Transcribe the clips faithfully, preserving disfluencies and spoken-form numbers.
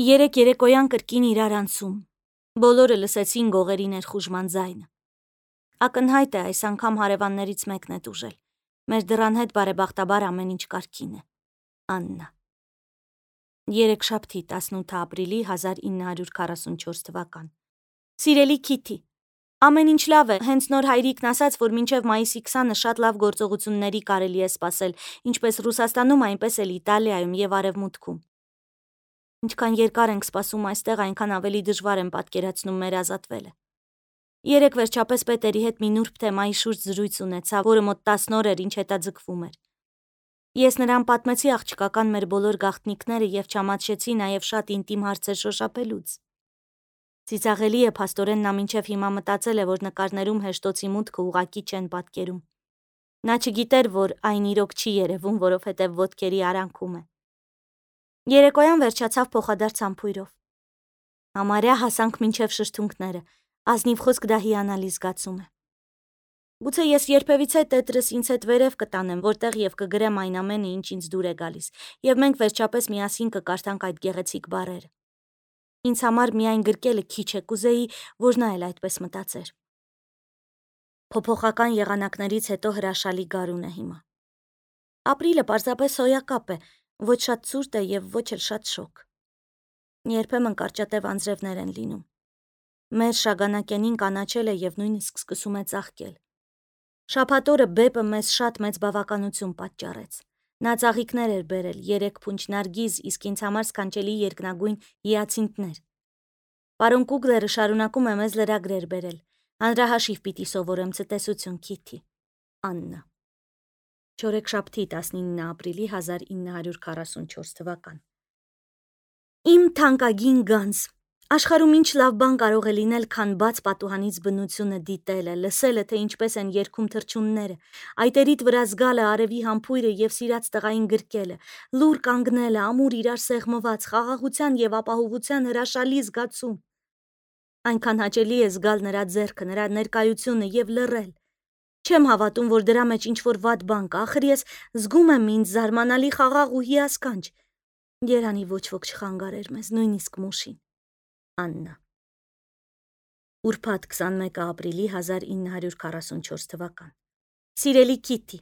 Երեք երեկոյան կրկին իրար անցում, բոլորը լսեցին գողերի ներխուժման ձայնը։ Ակնհայտ է այս անգամ հարևաններից մեկն է տուժել, մեր դռան հետ բարեբախտաբար ամեն ինչ կարգին է։ Աննա։ Երեքշաբթի տասնութ ապրիլի հազար ինը հարյուր քառասունչորս թվական։ Սիրելի Քիթի, ամեն ինչ լավ է, հենց նոր հայրիկն ասաց, որ մինչև մայիսի քսանը շատ լավ գործողությունների կարելի է սպասել, ինչպես Ռուսաստանում, այնպես էլ Իտալիայում եւ Արևմուտքում։ Ինչքան երկար ենք սպասում այստեղ, այնքան ավելի դժվար եմ պատկերացնում մեր ազատվելը։ Երեք վերջապես պետերի հետ մի նուրբ թեմայի շուրջ զրույց ունեցա, որը մոտ տասն օր էր ինչ հետաձգվում էր։ Ես նրան պատմեցի աղջկական մեր բոլոր գաղտնիքները եւ չամաչեցի նաեւ շատ ինտիմ հարցեր շոշափելուց։ Ծիծաղելի է, փաստորեն նա մինչև հիմա մտածել է, որ նկարներում հեշտոցի մուտքը ուղակի չեն պատկերում։ Նա չգիտեր, որ այն իրոք չի երևում, որովհետև ոտքերի արանքում է։ Երեկոյան վերջացավ փոխադարձ համբույրով։ Համարյա հասանք մինչև շշթունքները, ազնիվ խոսք դա հիանալի զգացում է։ Գուցե ես երբևիցե տետրս ինձ հետ վերև կտանեմ, որտեղ եւ կգրեմ այն ամենը, ինչ ինձ դուր է գալիս, եւ մենք վերջապես միասին կկարդանք այդ գեղեցիկ բառերը։ Ինձ համար միայն գրկելը քիչ է, կուզեի, որ նա էլ այդպես մտածեր։ Փոփոխական եղանակներից հետո հրաշալի գարուն է հիմա։ Ապրիլը պարզապես հոյակապ է, ոչ շատ ցուրտ է եւ ոչ էլ շատ շոգ։ Երբեմն կարճատև անձրևներ են լինում։ Մեր շագանակենին կանաչել է եւ նույնիսկ սկսում է ծաղկել։ Շաբաթօրը բեպը մեզ շատ մեծ բավականություն պատճառեց։ Նա ծաղիկներ էր բերել, երեք փունջ նարգիզ, իսկ ինձ համար սքանչելի երկնագույն հիացինթներ։ Պարոն Կուգլերը շարունակում է մեզ լրագրեր բերել։ Հանրահաշիվ պիտի սովորեմ ցտեսություն, Քիթի։ Աննա։ Չորեքշաբթի տասնինը ապրիլի հազար ինը հարյուր քառասունչորս թվական։ Իմ թանկագին գանձ, աշխարհում ինչ լավ բան կարող է լինել, քան բաց պատուհանից բնությունը դիտելը, լսելը, թե ինչպես են երգում թռչունները, այտերիդ վրա զգալը արևի համբույրը եւ սիրած տղային գրկելը, լուր կանգնելը, ամուր իրար սեղմված, խաղաղության եւ ապահովության հրաշալի զգացում։ Այնքան հաճելի է զգալ նրա ձեռքը, նրա ներկայությունը եւ լռել։ Չեմ հավատում, որ դրա մեջ ինչ-որ վատ բան կա, ախր ես զգում եմ ինձ զարմանալի խաղաղ ու հիասքանչ։ Երանի ոչ ոք չխանգարեր մեզ, նույնիսկ մուշին։ Աննա։ Ուրբաթ քսանմեկը ապրիլի հազար ինը հարյուր քառասունչորս թվական։ Սիրելի Քիթի,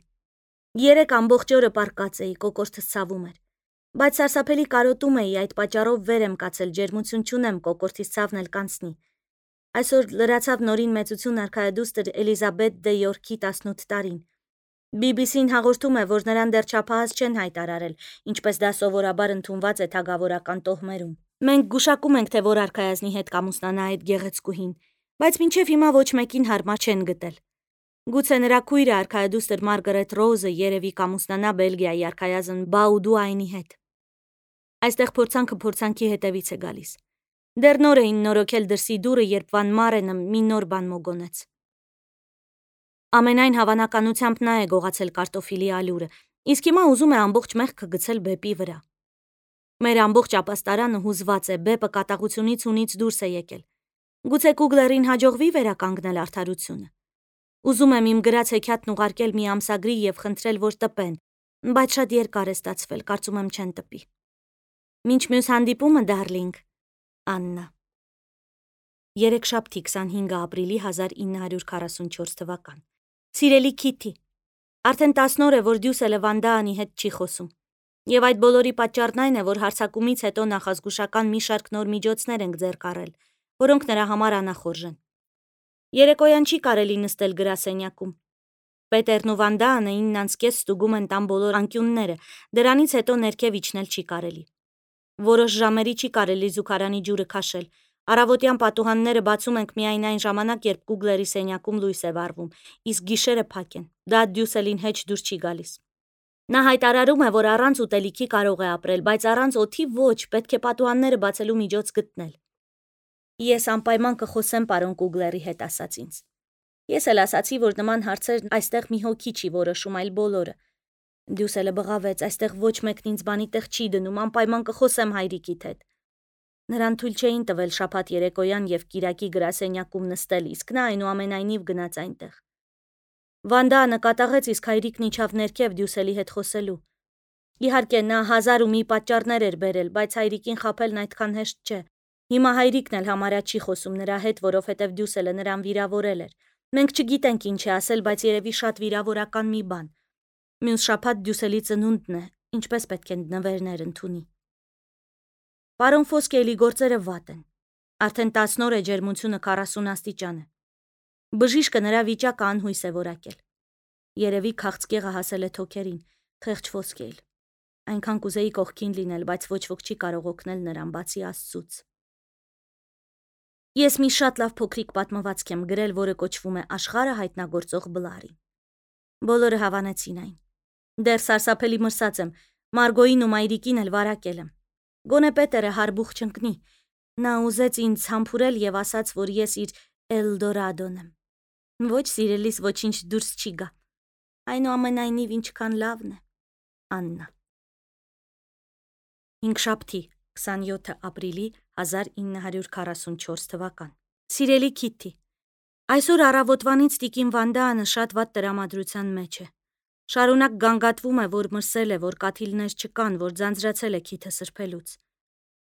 երեք ամբողջ օրը պառկած էի, կոկորդս ցավում էր, բայց սարսափելի կարոտում էի, այդ պատճառով վեր եմ կացել, ջերմություն չունեմ, կոկորդից ցավն էլ կանցնի։ Այսօր լրացավ նորին մեծություն արքայադուստր Էլիզաբեթ դե Յորքի տասնութ տարին։ բի բի սին հաղորդում է, որ նրան դեռ չափահաս չեն հայտարարել, ինչպես դա սովորաբար ընդունված է թագավորական տոհմերում։ Մենք գուշակում ենք, թե որ արքայազնի հետ կամուսնանա այդ գեղեցկուհին, բայց մինչև հիմա ոչ մեկին հարմար չեն գտել։ Գուցե նրա քույրը արքայադուստր Մարգարետ Ռոուզը երևի կամուսնանա Բելգիայի արքայազն Բաուդուայնի հետ։ Այստեղ փորձանքը փորձանքի հետևից է գալիս։ Դեռ նոր էին նորոգել դրսի դուռը, երբ Վան Մարենը մի նոր բան մոգոնեց։ Ամենայն հավանականությամբ նա է գողացել կարտոֆիլի ալյուրը, իսկ հիմա ուզում է ամբողջ մեղքը գցել բեպի վրա։ Մեր ամբողջ ապաստարանը հուզված է, բեպը կատաղությունից ունից դուրս է եկել։ Գուցե Կուգլերին հաջողվի վերականգնել արդարությունը։ Ուզում եմ իմ գրած հեքիաթն ուղարկել մի ամսագրի եւ խնդրել, որ տպեն, բայց շատ երկար է ստացվել, կարծում եմ չեն տպի։ Մինչ մյուս հանդիպումը, դարլինգ, Աննա։ Երեքշաբթի քսանհինգը ապրիլի հազար ինը հարյուր քառասունչորս թվական։ Սիրելի Քիթի, արդեն տասն օր է, որ Դյուսելը Վանդաանի հետ չի խոսում։ Եվ այդ բոլորի պատճառն այն է, որ հարձակումից հետո նախազգուշական մի շարք նոր միջոցներ ենք ձեռք առել, որոնք նրա համար անախորժ են։ Երեկոյան չի կարելի նստել գրասենյակում։ Պետերն ու Վանդաանը ինն անց կես ստուգում են տան բոլոր անկյունները, դրանից հետո ներքև իջնել չի կարելի։ Որոշ ժամերի չի կարելի զուգարանի ջուրը քաշել։ Առավոտյան պատուհանները բացում ենք միայն այն ժամանակ, երբ Կուգլերի սենյակում լույս է վառվում, իսկ գիշերը փակ են։ Դա Դյուսելին հեչ դուր չի գալիս։ Նա հայտարարում է, որ առանց ուտելիքի կարող է ապրել, բայց առանց օդի ոչ, պետք է պատուհանները բացելու միջոց գտնել։ Ես անպայման կխոսեմ պարոն Կուգլերի հետ, ասաց ինձ։ Ես էլ ասացի, որ նման հարցեր այստեղ մի հոգի չի որոշում, այլ բոլորը։ Դյուսելը բղավեց, այստեղ ոչ մեկն ինձ բանի տեղ չի դնում, անպայման կխոսեմ հայրիկիդ հետ։ Նրան թույլ չէին տվել շաբաթ երեկոյան եւ կիրակի գրասենյակում նստել, իսկ նա այնուամենայնիվ գնաց այնտեղ։ Վանդանը կատաղեց, իսկ հայրիկն իջավ ներքև Դյուսելի հետ խոսելու։ Իհարկե նա հազար ու մի պատճառներ էր բերել, բայց հայրիկին խաբելն այդքան հեշտ չէ։ Հիմա հայրիկն էլ համարյա չի խոսում նրա հետ, որովհետև Դյուսելը նրան վիրավորել էր։ Մենք չգիտենք ինչ է ասել, բայց երևի շատ վիրավորական մի բան։ Մյուս շաբաթ Դյուսելի ծնունդն է, ինչպես պետք է նվերներ ընդունի։ Պարոն Ֆոսկեյլի գործերը վատ են։ Արդեն տասն օր է ջերմությունը քառասուն աստիճան է։ Բժիշկը նրա վիճակը անհույս է որակել։ Երևի քաղցկեղը հասել է թոքերին, խեղճ Ֆոսկեյլ։ Այնքան կուզեի կողքին լինել, բայց ոչ ոք չի կարող օգնել նրան, բացի Աստծուց։ Ես մի շատ լավ փոքրիկ պատմվածք եմ գրել, որը կոչվում է Աշխարհը հայտնագործող Բլարի։ Բոլորը հավանեցին այն։ Դեռ սարսափելի մրսած եմ, Մարգոյին ու մայրիկին էլ վարակել եմ։ Գոնե Պետերը հարբուխ չընկնի։ Նա ուզեց ինձ համբուրել եւ ասաց, որ ես իր Էլդորադոն եմ։ Ոչ սիրելիս ոչինչ դուրս չի գա։ Այնուամենայնիվ ինչքան լավն է։ Աննա։ Հինգշաբթի, քսանյոթ ապրիլի հազար ինը հարյուր քառասունչորս թվական։ Սիրելի Քիթի, այսօր առավոտվանից տիկին Վանդանը շատ վատ տրամադրության մեջ է։ Շարունակ գանգատվում է, որ մրսել է, որ կաթիլներ չկան, որ ձանձրացել է քիթը սրբելուց։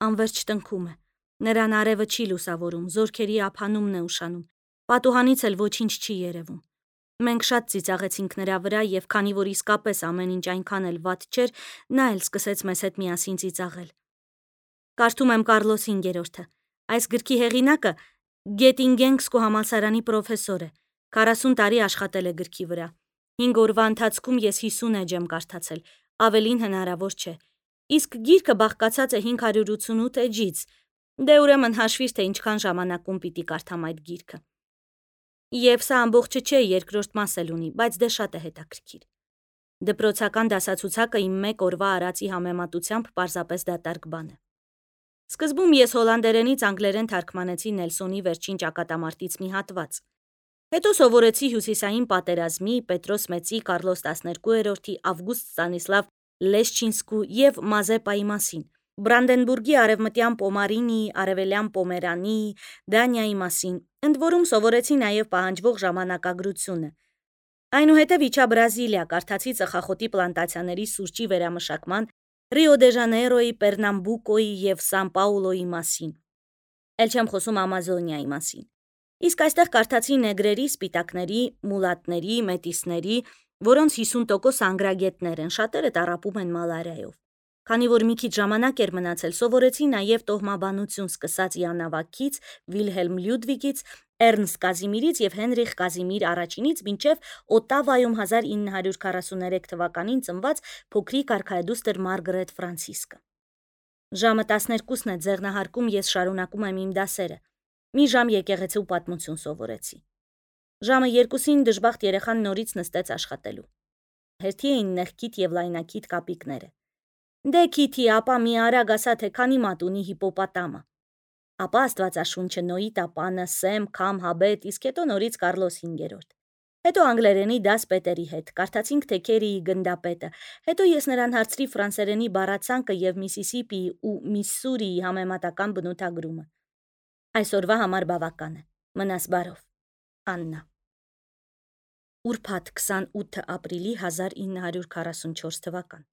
Անverջ տնքում է։ Նրան արևը չի լուսավորում, զորքերի ափանումն է ուշանում։ Պատուհանից էլ ոչինչ չի երևում։ Մենք շատ ծիծաղեցինք նրա վրա եւ քանի որ իսկապես ամեն ինչ այնքան էլ վատ չէր, նա էլ սկսեց մեզ հետ միասին ծիծաղել։ Կարդում եմ Կարլոս հինգերորդը։ Այս գրքի հեղինակը Գետինգենգսկու համալսարանի պրոֆեսոր է։ քառասուն տարի աշխատել է գրքի վրա։ հինգ օրվա ընթացքում ես հիսուն էջ եմ կարդացել, ավելին հնարավոր չէ։ Իսկ գիրքը բաղկացած է հինգ հարյուր ութսունութ էջից։ Դե ուրեմն հաշվիր, թե ինչքան ժամանակում պիտի կարդամ այդ գիրքը։ Եվ սա ամբողջը չէ, երկրորդ մաս էլ ունի, բայց դե շատ է հետաքրքիր։ Դպրոցական դասացուցակը իմ մեկ օրվա արածի համեմատությամբ պարզապես դատարկ բան է։ Սկզբում ես հոլանդերենից անգլերեն թարգմանեցի Նելսոնի վերջին ճակատամարտից մի հատված։ Հետո սովորեցի Հյուսիսային պատերազմի, Պետրոս Մեծի, Կարլոս տասներկուերորդի, Ավգուստ Ստանիսլավ Լեշչինսկու եւ Մազեպայի մասին, Բրանդենբուրգի արևմտյան Պոմարինիի, արևելյան Պոմերանի, Դանիայի մասին, ընդ որում սովորեցի նաեւ պահանջվող ժամանակագրությունը։ Այնուհետև իջա Բրազիլիա, կարդացի ծխախոտի պլանտացիաների սուրճի վերամշակման, Ռիո դե Ժանեյրոյի, Պերնամբուկոյի եւ Սան Պաուլոյի մասին։ Էլ չեմ խոսում Ամազոնիայի մասին։ Իսկ այստեղ կարդացի նեգրերի, սպիտակների, մուլատների, մետիսների, որոնց հիսուն տոկոս անգրագետներ են, շատերը տառապում են մալարիայով։ Քանի որ մի քիչ ժամանակ էր մնացել, սովորեցի նաև տոհմաբանություն, սկսած Յանավակից, Վիլհելմ Լյուդվիգից, Էրնստ Կազիմիրից եւ Հենրիխ Կազիմիր առաջինից մինչեւ Օտավայում հազար ինը հարյուր քառասուներեք թվականին ծնված փոքրիկ արքայադուստր Մարգարետ Ֆրանցիսկը։ Ժամը տասներկուսն է ձեղնահարկում, ես շարունակում եմ իմ դասերը։ Մի ժամ եկեղեցու պատմություն սովորեցի։ Ժամը երկուսին դժբախտ երեխան նորից նստեց աշխատելու։ Հերթի էին նեղքիթ եւ լայնակիթ կապիկները։ Դե Քիթի, ապա մի արագ ասա, թե քանի մատ ունի հիպոպոտամը։ Ապա Աստվածաշունչը, Նոյի տապանը, Սեմ, Քամ, Հաբետ, իսկ հետո նորից Կարլոս հինգերորդ։ Հետո անգլերենի դաս Պետերի հետ, կարդացինք Թեքերիի գնդապետը, հետո ես նրան հարցրի ֆրանսերենի բառացանկը եւ Միսիսիպիի ու Միսսուրիի համեմատական բնութագրումը։ Այսօրվա համար բավական է։ Մնաս բարով։ Աննա։ Ուրբաթ քսանութ ապրիլի հազար ինը հարյուր քառասունչորս թվական։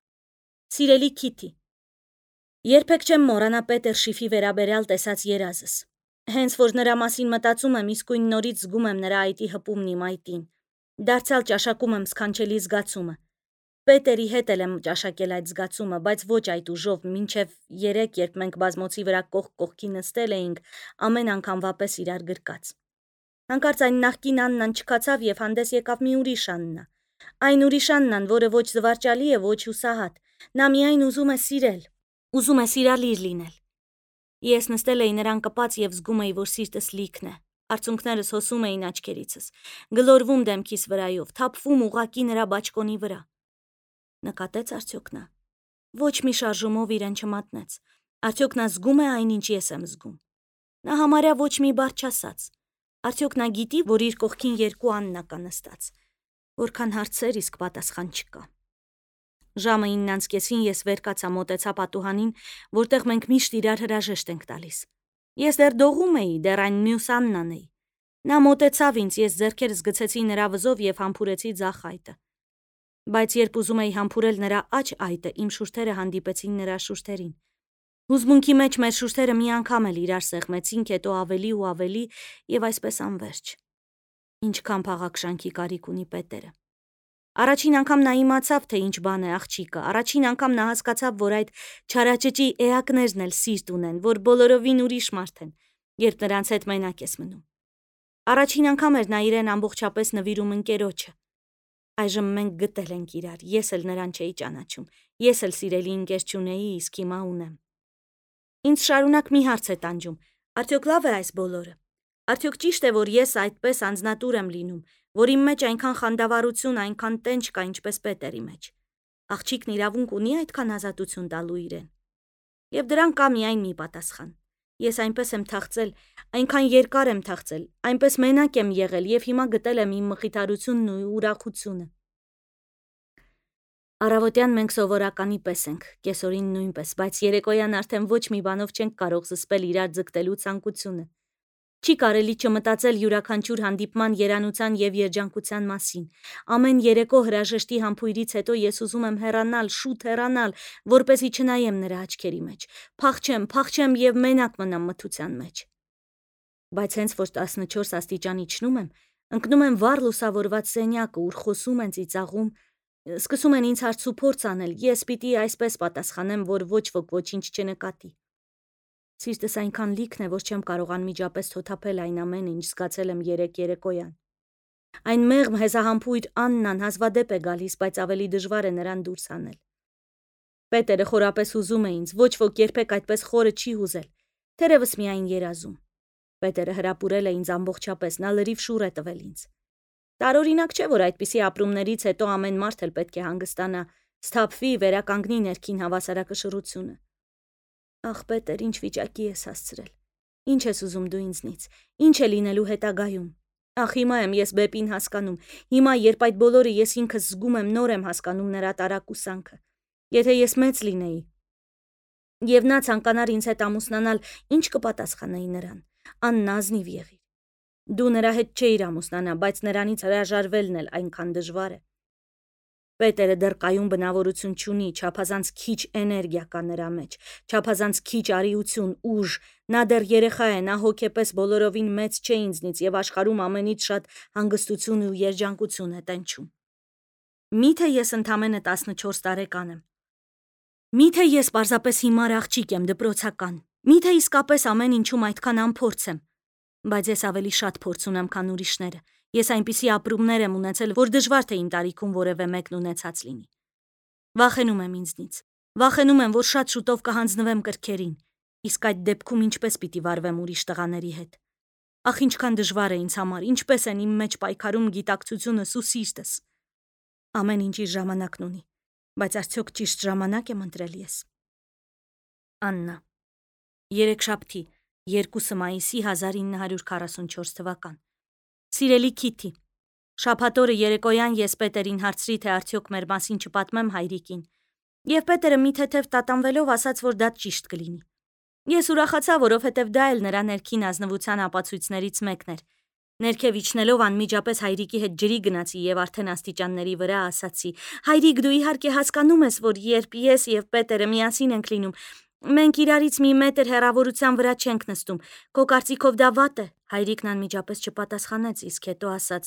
Սիրելի Քիթի, երբեք չեմ մոռանա Պետեր Շիֆի վերաբերյալ տեսած երազս։ Հենց որ նրա մասին մտածում եմ, իսկույն նորից զգում եմ նրա այտի հպումն իմ այտին։ Դարձյալ ճաշակում եմ սքանչելի զգացումը։ Պետերի հետ էլ եմ ճաշակել այդ զգացումը, բայց ոչ այդ ուժով, մինչև երեք, երբ մենք բազմոցի վրա կողք կողքի նստել էինք, ամեն անգամվա պես իրար գրկած։ Հանկարծ այն նախկին Աննան չքացավ եւ հանդես եկավ մի ուրիշ Աննա։ Այն ուրիշ Աննան, որը ոչ զվարճալի է, ոչ հուսահատ։ Նա միայն ուզում է սիրել, ուզում է սիրալիր լինել։ Ես նստել էի նրան կպած եւ զգում էի, որ սիրտս լիքն է։ Արցունքներս հոսում էին աչքերիցս, գլորվում դեմքիս վրայով, թափվում ուղակի նրա բաճկոնի վրա։ Նկատեց արդյոք նա։ Ոչ մի շարժումով իրեն չմատնեց։ Արդյոք նա զգում է այն, ինչ ես եմ զգում։ Նա համարյա ոչ մի բառ չասաց։ Արդյոք նա գիտի, որ իր կողքին երկու Աննա կա նստած։ Որքան հարցեր, իսկ պատասխան չկա։ Ժամը իննանց կեսին ես վեր կացա, մոտեցա պատուհանին, որտեղ մենք միշտ իրար հրաժեշտ ենք տալիս։ Ես դեռ դողում էի, դեռ այն մյուս Աննան էի։ Նա մոտեցավ ինձ, ես ձեռքերս գցեցի նրա վզով եւ համբուրեցի ձախ այտը։ Բայց երբ ուզում էի համբուրել նրա աջ այտը, իմ շուրթերը հանդիպեցին նրա շուրթերին։ Հուզմունքի մեջ մեր շուրթերը մի անգամ էլ իրար սեղմեցինք, հետո ավելի ու ավելի եւ այսպես անverջ։ Ինչքան փաղաքշանքի կարիք ունի Պետերը։ Առաջին անգամ նա իմացավ, թե ինչ բան է աղջիկը, առաջին անգամ նա հասկացավ, որ այդ չարաճճի էակներն էլ սիրտ ունեն, որ բոլորովին ուրիշ մարդ են, երբ նրանց հետ մենակ ես մնում։ Առաջին անգամ էր նա իրեն ամբողջապես նվիրում ընկերոջը։ Այժմ մենք գտել ենք իրար, ես էլ նրան չէի ճանաչում, ես էլ սիրելի ընկեր չունեի, իսկ հիմա ունեմ։ Ինձ շարունակ մի հարց է տանջում, արդյոք լավ է այս բոլորը։ Արդյոք ճիշտ է, որ ես այդպես անձնատուր եմ լինում, որ իմ մեջ այնքան խանդավառություն, այնքան տենչ կա, ինչպես Պետերի մեջ։ Աղջիկն իրավունք ունի այդքան ազատություն տալու իրեն։ Եվ դրան կա միայն մի պատասխան։ Ես այնպես եմ թախծել, այնքան երկար եմ թախծել, այնպես մենակ եմ եղել եւ հիմա գտել եմ իմ մխիթարությունն ու ուրախությունը։ Առավոտյան մենք սովորականի պես ենք, կեսօրին նույնպես, բայց երեկոյան արդեն ոչ մի բանով չենք կարող զսպել իրար ձգտելու ցանկությունը։ Չի կարելի չմտածել յուրաքանչյուր հանդիպման երանության եւ երջանկության մասին։ Ամեն երեկո հրաժեշտի համբույրից հետո ես ուզում եմ հեռանալ, շուտ հեռանալ, որպեսզի չնայեմ նրա աչքերի մեջ։ Փախչեմ, փախչեմ եւ մենակ մնամ մթության մեջ։ Բայց հենց որ տասնչորս աստիճան իջնում եմ, ընկնում եմ վառ լուսավորված սենյակը, ուր խոսում են, ծիծաղում, սկսում են ինձ հարց ու փորձ անել, ես պիտի այսպես պատասխանեմ, որ ոչ ոք ոչինչ չնկատի։ Սիրտս այնքան լիքն է, որ չեմ կարող անմիջապես թոթափել այն ամենը, ինչ զգացել եմ երեկ երեկոյան։ Այն մեղմ հեզահամբույր Աննան հազվադեպ է գալիս, բայց ավելի դժվար է նրան դուրս հանել։ Պետերը խորապես հուզում է ինձ, ոչ ոք երբեք այդպես խորը չի հուզել, թերևս միայն երազում։ Պետերը հրապուրել է ինձ ամբողջապես, նա լրիվ շուռ է տվել ինձ։ Տարօրինակ չէ, որ այդպիսի ապրումներից հետո ամեն մարդ էլ պետք է հանգստանա, սթափվի, վերականգնի ներքին հավասարակշռությունը։ Ախ, Պետեր, ինչ վիճակի ես հասցրել։ Ինչ ես ուզում դու ինձնից։ Ինչ է լինելու հետագայում։ Ախ, հիմա եմ ես Բեպին հասկանում։ Հիմա, երբ այդ բոլորը ես ինքս զգում եմ, նոր եմ հասկանում նրա տարակուսանքը։ Եթե ես մեծ լինեի, եւ նա ցանկանար ինձ հետ ամուսնանալ, ինչ կպատասխանեի նրան։ Աննազնիվ եղիր։ Դու նրա հետ չէիր ամուսնանա, բայց նրանից հրաժարվելն էլ այնքան դժվար է։ Պետերը դեռ կայուն բնավորություն չունի, չափազանց քիչ էներգիա կա նրա մեջ, չափազանց քիչ արիություն, ուժ, նա դեռ երեխա է, նա հոգեպես բոլորովին մեծ չէ ինձնից եւ աշխարհում ամենից շատ հանգստություն ու երջանկություն է տենչում։ Միթե ես ընդամենը տասնչորս տարեկան եմ։ Միթե ես պարզապես հիմար աղջիկ եմ, դպրոցական։ Միթե իսկապես ամեն ինչում այդքան անփորձ եմ։ Բայց ես ավելի շատ փորձ ունեմ, քան ուրիշները։ Ես այնպիսի ապրումներ եմ ունեցել, որ դժվար թե իմ տարիքում որևէ մեկն ունեցած լինի։ Վախենում եմ ինձնից։ Վախենում եմ, որ շատ շուտով կհանձնվեմ կրքերին, իսկ այդ դեպքում ինչպես պիտի վարվեմ ուրիշ տղաների հետ։ Ախ, ինչքան դժվար է ինձ համար, ինչպես են իմ մեջ պայքարում գիտակցությունս ու սիրտս։ Ամեն ինչ իր ժամանակն ունի, բայց արդյոք ճիշտ ժամանակ եմ ընտրել ես։ Աննա։ Երեքշաբթի, երկուսը մայիսի հազար ինը հարյուր քառասունչորս թվական։ Սիրելի Քիթի, շաբաթօրը երեկոյան ես Պետերին հարցրի, թե արդյոք մեր մասին չպատմեմ հայրիկին, եւ Պետերը մի թեթև տատանվելով ասաց, որ դա ճիշտ կլինի։ Ես ուրախացա, որովհետեւ դա էլ նրա ներքին ազնվության ապացույցներից մեկն էր։ Ներքև իջնելով անմիջապես հայրիկի հետ ջրի գնացի եւ արդեն աստիճանների վրա ասացի. «Հայրիկ, դու իհարկե հասկանում ես, որ երբ ես եւ Պետերը միասին ենք լինում, մենք իրարից մի մետր հեռավորության վրա չենք նստում։ Քո կարծիքով դա վատ է»։ Հայրիկն անմիջապես չպատասխանեց, իսկ հետո ասաց.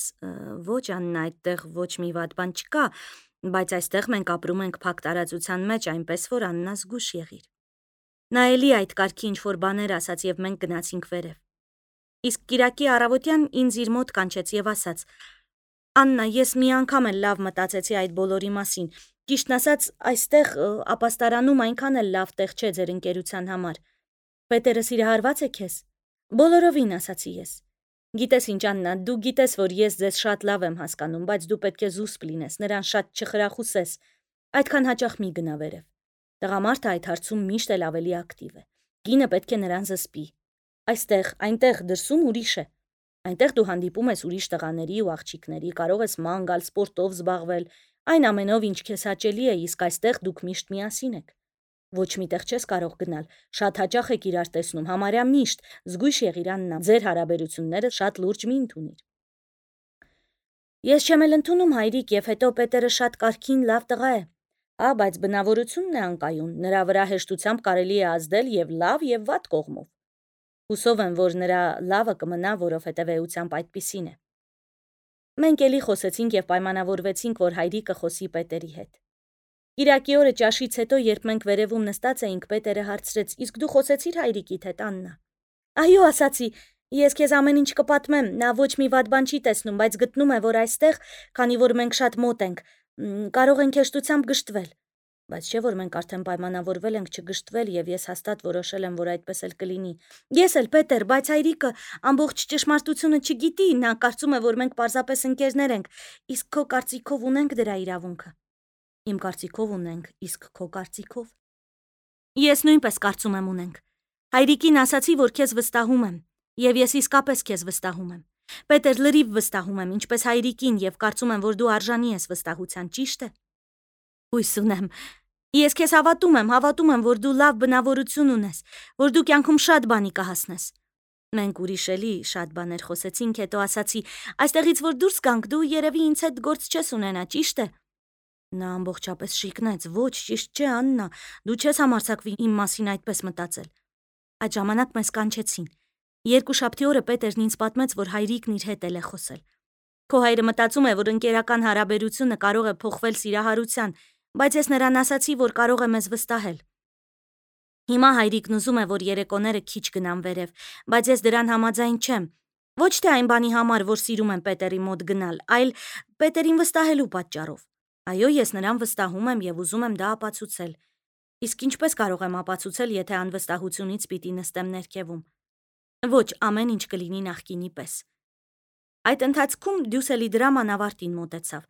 «Ոչ, Աննա, այդտեղ ոչ մի վատ բան չկա, բայց այստեղ մենք ապրում ենք փակ տարածության մեջ, այնպես որ Աննա զգուշ եղիր»։ Նա էլի այդ կարգի ինչ-որ բաներ ասաց եւ մենք գնացինք վերև։ Իսկ կիրակի առավոտյան ինձ իր մոտ կանչեց եւ ասաց. «Աննա, ես մի անգամ էլ լավ մտածեցի այդ բոլորի մասին։ Ճիշտն ասած, այստեղ ապաստարանում այնքան էլ լավ տեղ չէ ձեր ընկերության համար։ Պետերը սիրահարված է քեզ»։ Բոլորովին, ասացի ես։ Գիտես ինչ, Աննա, դու գիտես, որ ես ձեզ շատ լավ եմ հասկանում, բայց դու պետք է զուսպ լինես, նրան շատ չխրախուսես։ Այդքան հաճախ մի գնա վերև։ Տղամարդը այդ հարցում միշտ էլ ավելի ակտիվ է։ Կինը պետք է նրան զսպի։ Այստեղ, այնտեղ դրսում ուրիշ է։ Այնտեղ դու հանդիպում ես ուրիշ տղաների ու աղջիկների, կարող ես ման գալ, սպորտով զբաղվել, այն ամենով, ինչ քեզ հաճելի է, իսկ այստեղ դուք միշտ միասին եք։ Ոչ միտեղ չես կարող գնալ, շատ հաճախ եք իրար տեսնում, համարյա միշտ, զգույշ եղիր, Աննա, ձեր հարաբերությունները շատ լուրջ մի ընդունիր։ Ես չեմ էլ ընդունում հայրիկ, եւ հետո Պետերը շատ կարգին լավ տղա է։ Ա, բայց բնավորությունն է անկայուն, նրա վրա հեշտությամբ կարելի է ազդել եւ լավ եւ վատ կողմով։ Հուսով եմ, որ նրա լավը կմնա, որովհետեւ էությամբ այդպիսին է։ Մենք էլի խոսեցինք եւ պայմանավորվեցինք, որ հայրիկը խոսի Պետերի հետ։ Կիրակի օրը ճաշից հետո, երբ մենք վերևում նստած էինք, Պետերը հարցրեց. «Իսկ դու խոսեցիր հայրիկիդ հետ, Աննա»։ Այո, ասացի, ես քեզ ամեն ինչ կպատմեմ, նա ոչ մի վատ բան չի տեսնում, բայց գտնում է, որ այստեղ, քանի որ մենք շատ մոտ ենք, կարող ենք հեշտությամբ գժտվել։ Բայց չէ՞ որ մենք արդեն պայմանավորվել ենք չգժտվել եւ ես հաստատ որոշել եմ, որ այդպես էլ կլինի։ Ես էլ, Պետեր, բայց հայրիկը ամբողջ ճշմարտությունը չգիտի, նա կարծում է, որ մենք պարզապես ընկերներ ենք, իսկ քո կարծիքով ունենք դրա իրավունքը։ Իմ կարծիքով ունենք, իսկ քո կարծիքով։ Ես նույնպես կարծում եմ ունենք։ Հայրիկին ասացի, որ քեզ վստահում եմ, եւ ես իսկապես քեզ վստահում եմ։ Պետեր, լրիվ վստահում եմ, ինչպես հայրիկին, եւ կարծում եմ, որ դու արժանի ես վստահության, ճիշտ է։ Հույս ունեմ։ Ես քեզ հավատում եմ, հավատում եմ, որ դու լավ բնավորություն ունես, որ դու կյանքում շատ բանի կհասնես։ Մենք ուրիշ էլի շատ բաներ խոսեցինք, հետո ասացի, այստեղից որ դուրս գանք, դու երևի ինձ հետ գործ չես ունենա, ճիշտ է։ Նա ամբողջապես շիկնեց. ոչ, ճիշտ չէ, Աննա, դու չես համարձակվի իմ մասին այդպես մտածել։ Այդ ժամանակ մեզ կանչեցին։ Երկուշաբթի օրը Պետերն ինձ պատմեց, որ հայրիկն իր հետ էլ է խոսել։ Քո հայրը մտածում է, որ ընկերական հարաբերությունը կարող է փոխվել սիրահարության, բայց ես նրան ասացի, որ կարող է մեզ վստահել։ Հիմա հայրիկն ուզում է, որ երեկոները քիչ գնան վերև, բայց ես դրան համաձայն չեմ։ Ոչ թե այն բանի համար, որ սիրում եմ Պետերի մոտ գնալ, այլ Պետերին վստահելու պատճառով։ Այո, ես նրան վստահում եմ եւ ուզում եմ դա ապացուցել։ Իսկ ինչպես կարող եմ ապացուցել, եթե անվստահությունից պիտի նստեմ ներքևում։ Ոչ, ամեն ինչ կլինի նախկինի պես։ Այդ ընթացքում Դյուսելի դրաման ավարտին մոտեցավ։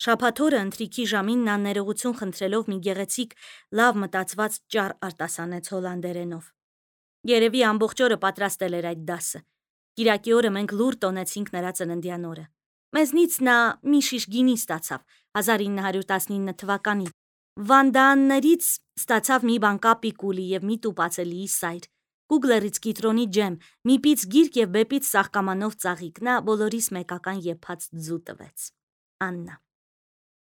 Շաբաթ օրը ընթրիքի ժամին նա ներողություն խնդրելով մի գեղեցիկ, լավ մտածված ճառ արտասանեց հոլանդերենով։ Երևի ամբողջ օրը պատրաստել էր այդ դասը։ Կիրակի օրը մենք լուր տոնեցինք նրա ծննդյան օրը։ Մեզնից նա մի շիշ գինի ստացավ հազար ինը հարյուր տասնինը թվականին։ Վանդաաններից ստացավ մի բան կապի կուլի եւ մի տուպացելի սայր, Կուգլերից կիտրոնի ջեմ, մի պիծ գիրք եւ բեպից սաղկամանով ծաղիկ, նա բոլորիս մեկական եփած ձու տվեց։ Աննա։